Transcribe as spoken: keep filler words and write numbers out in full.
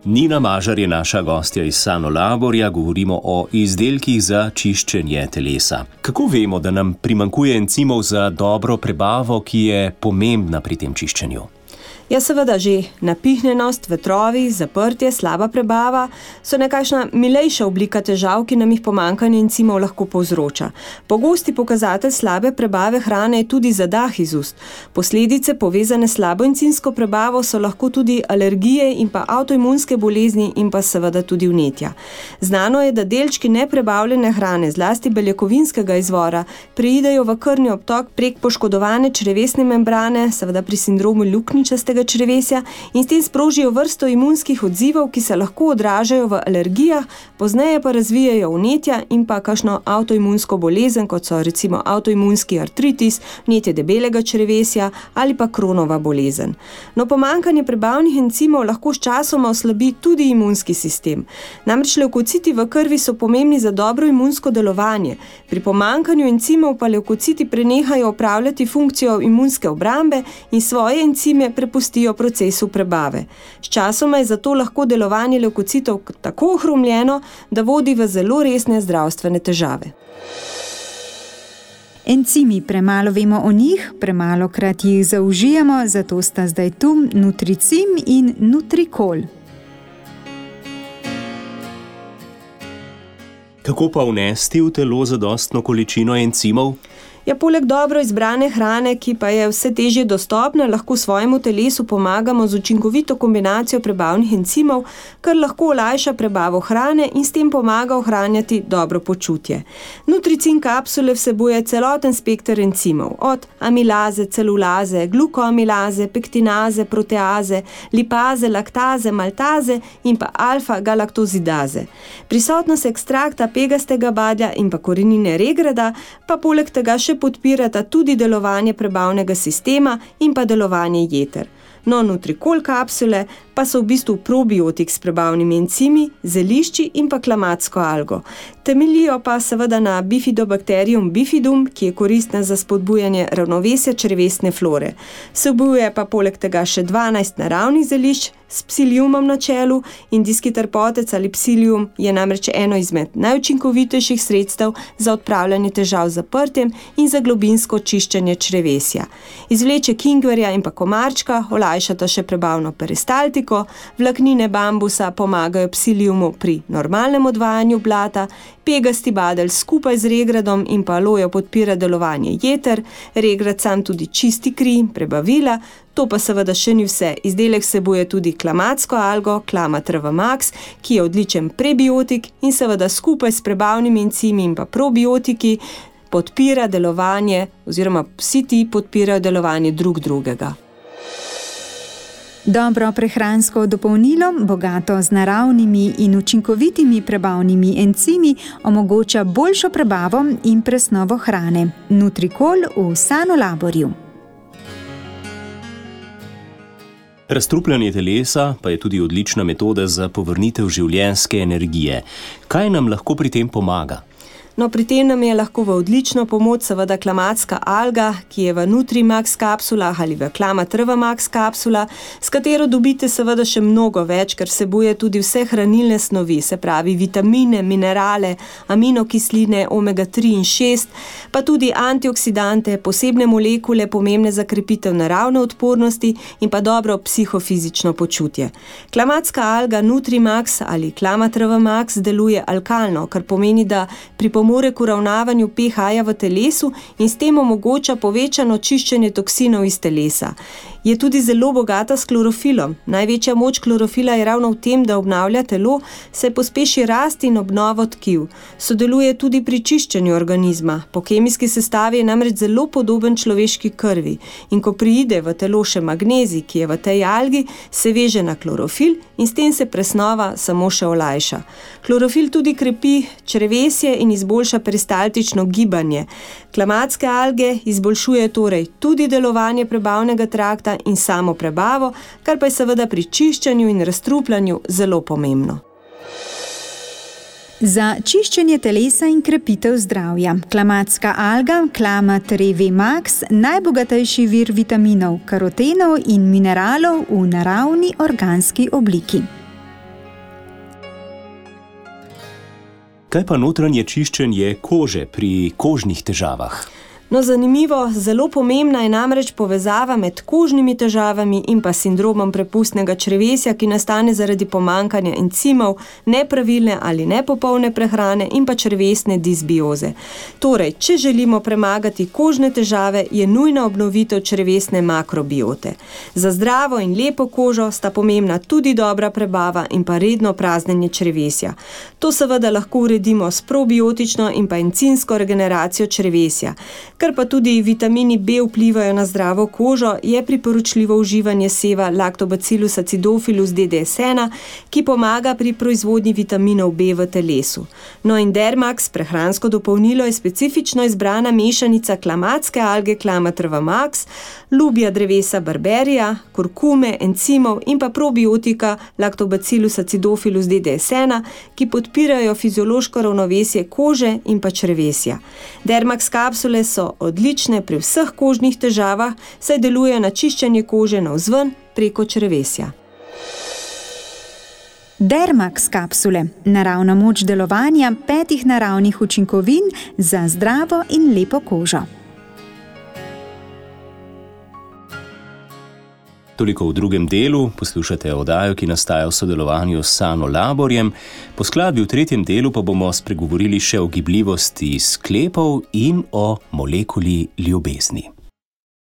Nina Mažar je naša gostja iz Sanolaborja, govorimo o izdelkih za čiščenje telesa. Kako vemo, da nam primanjkuje encimov za dobro prebavo, ki je pomembna pri tem čiščenju? Ja, seveda že napihnjenost, vetrovi, zaprtje, slaba prebava so nekakšna milejša oblika težav, ki nam jih pomanjkanje encimov lahko povzroča. Pogosti pokazatelj slabe prebave hrane je tudi zadah iz ust. Posledice povezane s slabo encimsko prebavo so lahko tudi alergije in pa avtoimunske bolezni in pa seveda tudi vnetja. Znano je, da delčki neprebavljene hrane, zlasti beljakovinskega izvora, preidejo v krvni obtok prek poškodovane črevesne membrane, seveda pri sindromu luknjičastega črevesja, in s tem sprožijo vrsto imunskih odzivov, ki se lahko odražajo v alergijah, pozneje pa razvijajo vnetja in pa kakšno avtoimunsko bolezen, kot so recimo avtoimunski artritis, vnetje debelega črevesja ali pa Kronova bolezen. No, pomanjkanje prebavnih encimov lahko s časoma oslabi tudi imunski sistem. Namreč levkociti v krvi so pomembni za dobro imunsko delovanje. Pri pomanjkanju encimov pa levkociti prenehajo opravljati funkcijo imunske obrambe in svoje encime prepustijo procesu prebave. S časoma je zato lahko delovanje levkocitov tako ohromljeno, da vodi v zelo resne zdravstvene težave. Encimi, premalo vemo o njih, premalokrat jih zaužijemo, zato sta zdaj tu Nutricim in Nutrikol. Kako pa vnesti v telo zadostno količino encimov? Ja, poleg dobro izbrane hrane, ki pa je vse težje dostopna, lahko svojemu telesu pomagamo z učinkovito kombinacijo prebavnih encimov, kar lahko olajša prebavo hrane in s tem pomaga ohranjati dobro počutje. Nutricin kapsule vsebuje celoten spekter encimov, od amilaze, celulaze, glukoamilaze, pektinaze, proteaze, lipaze, laktaze, maltaze in pa alfa-galaktozidaze. Prisotnost ekstrakta pegastega badja in pa korenine regrada pa poleg tega še podpirata tudi delovanje prebavnega sistema in pa delovanje jeter. No, Nutrikol kapsule pa so v bistvu probiotik s prebavnimi encimi, zelišči in pa klamatsko algo. Temeljijo pa seveda na Bifidobacterium bifidum, ki je koristna za spodbujanje ravnovesja črevesne flore. Vsebuje pa poleg tega še dvanajst naravnih zelišč s psiliumom na čelu. Indijski trpotec ali psilium je namreč eno izmed najučinkovitejših sredstev za odpravljanje težav z zaprtjem in za globinsko čiščenje črevesja. Izvleček ingverja in pa komarčka olajšata še prebavno peristaltiko, vlaknine bambusa pomagajo psiliumu pri normalnem odvajanju blata, pegasti badelj skupaj z regradom in pa alojo podpira delovanje jeter, regrad sam tudi čisti kri, prebavila. To pa seveda še ni vse. Izdelek vsebuje tudi klamatsko algo, Klamat R V Max, ki je odličen prebiotik in seveda skupaj s prebavnimi encimi in pa probiotiki podpira delovanje, oziroma vsi ti podpirajo delovanje drug drugega. Dobro prehransko dopolnilo, bogato z naravnimi in učinkovitimi prebavnimi encimi, omogoča boljšo prebavo in presnovo hrane. Nutrikol v Sanolaborju. Razstrupljanje telesa pa je tudi odlična metoda za povrnitev življenjske energije. Kaj nam lahko pri tem pomaga? No, pri tem nam je lahko v odlično pomoč seveda klamatska alga, ki je v Nutrimax kapsulah ali v Klamat R V Max kapsula, s katero dobite seveda še mnogo več, ker vsebuje tudi vse hranilne snovi, se pravi vitamine, minerale, aminokisline, omega tri in šest, pa tudi antioksidante, posebne molekule pomembne za krepitev naravne odpornosti in pa dobro psihofizično počutje. Klamatska alga Nutrimax ali Klamat R V Max deluje alkalno, kar pomeni, da pripomore more k uravnavanju pH-ja v telesu in s tem omogoča povečano čiščenje toksinov iz telesa. Je tudi zelo bogata s klorofilom. Največja moč klorofila je ravno v tem, da obnavlja telo, se pospeši rast in obnovo tkiv. Sodeluje tudi pri čiščenju organizma. Po kemijski sestavi je namreč zelo podoben človeški krvi. In ko pride v telo še magnezij, ki je v tej algi, se veže na klorofil in s tem se presnova samo še olajša. Klorofil tudi krepi črevesje in izboljša peristaltično gibanje. Klamatske alge izboljšuje torej tudi delovanje prebavnega trakta in samo prebavo, kar pa je seveda pri čiščenju in razstrupljanju zelo pomembno. Za čiščenje telesa in krepitev zdravja. Klamatska alga, Klamat R V Max, najbogatejši vir vitaminov, karotenov in mineralov v naravni organski obliki. Kaj pa notranje čiščenje kože pri kožnih težavah? No, zanimivo, zelo pomembna je namreč povezava med kožnimi težavami in pa sindromom prepustnega črevesja, ki nastane zaradi pomanjkanja encimov, nepravilne ali nepopolne prehrane in pa črevesne disbioze. Torej, če želimo premagati kožne težave, je nujna obnovitev črevesne makrobiote. Za zdravo in lepo kožo sta pomembna tudi dobra prebava in pa redno praznjenje črevesja. To seveda lahko uredimo s probiotično in pa encimsko regeneracijo črevesja. Ker pa tudi vitamini B vplivajo na zdravo kožo, je priporočljivo uživanje seva Lactobacillus acidophilus D D S ena, ki pomaga pri proizvodnji vitaminov B v telesu. No in Dermax, prehransko dopolnilo, je specifično izbrana mešanica klamatske alge Clamatrva max, lubja drevesa barberija, kurkume, encimov in pa probiotika Lactobacillus acidophilus D D S ena, ki podpirajo fiziološko ravnovesje kože in pa črevesja. Dermax kapsule so odlične pri vseh kožnih težavah, saj delujejo na čiščenje kože navzven preko črevesja. Dermax kapsule, naravna moč delovanja petih naravnih učinkovin za zdravo in lepo kožo. Toliko v drugem delu, poslušate oddajo, ki nastaja v sodelovanju s Sanolaborjem. Po skladbi v tretjem delu pa bomo spregovorili še o gibljivosti sklepov in o molekuli ljubezni.